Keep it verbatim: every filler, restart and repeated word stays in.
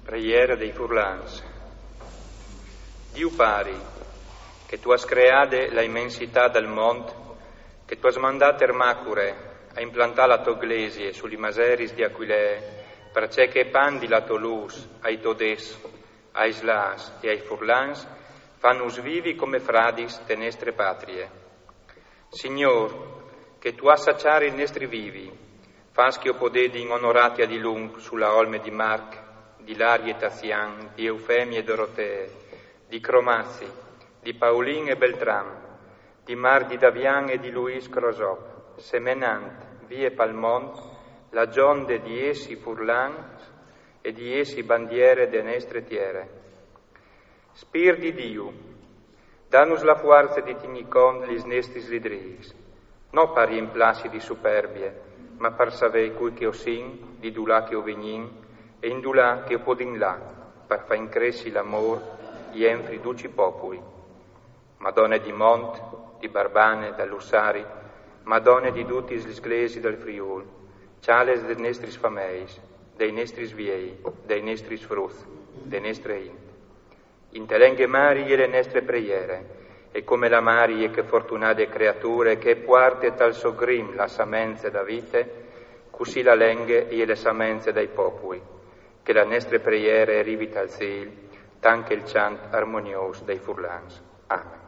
Preiere dai furlans. Diu Pari, che tu âs creade la imensitât dal mont, che tu âs mandât Ermacure a implantâ la tô glesie su li maseris di Aquilee, parcè che e pandi la tô lûs ai tô dets, ai slâts e ai furlans, fânus vivi come fradis te nestre patrie. Signôr, che tu âs saçât il nestri vivi, fâs che o podedin onorâti a dilunc su la olme di Marc, di Larie e Tazian, di Eufemie e Dorotee, di Cromazi, di Paulin e Beltram, di Marc di Davian e di Luis Crosop, semenant vie pal mont la gjonde di jessi furlans e di jessi bandiere de nestre tiere. Spirt di Diu, dânus la fuarce di tignî cont lis nestris lidrîs, no par riemplassi di superbie, ma par savê cui che o sin, di dulà che o vignìn e indulà che o podìn lâ, par fâ incressi l'amôr jenfri ducj i popui. Madone di mont, di Barbane, dal Lussari, Madone di dutis lis glesiis dal Friûl, cjales des nestris fameis, dai nestris viei, dai nestris fruts, de nestre int. In te lenghe mari e je le nestre preiere, e come la mari e je chê fortunade creature che e puarte tal so grim la samence da vite, cussì la lenghe e je le samence dai popui, che la nestre preiere e rivi tal cîl, tant che il cjant armoniôs dai furlans. Amen.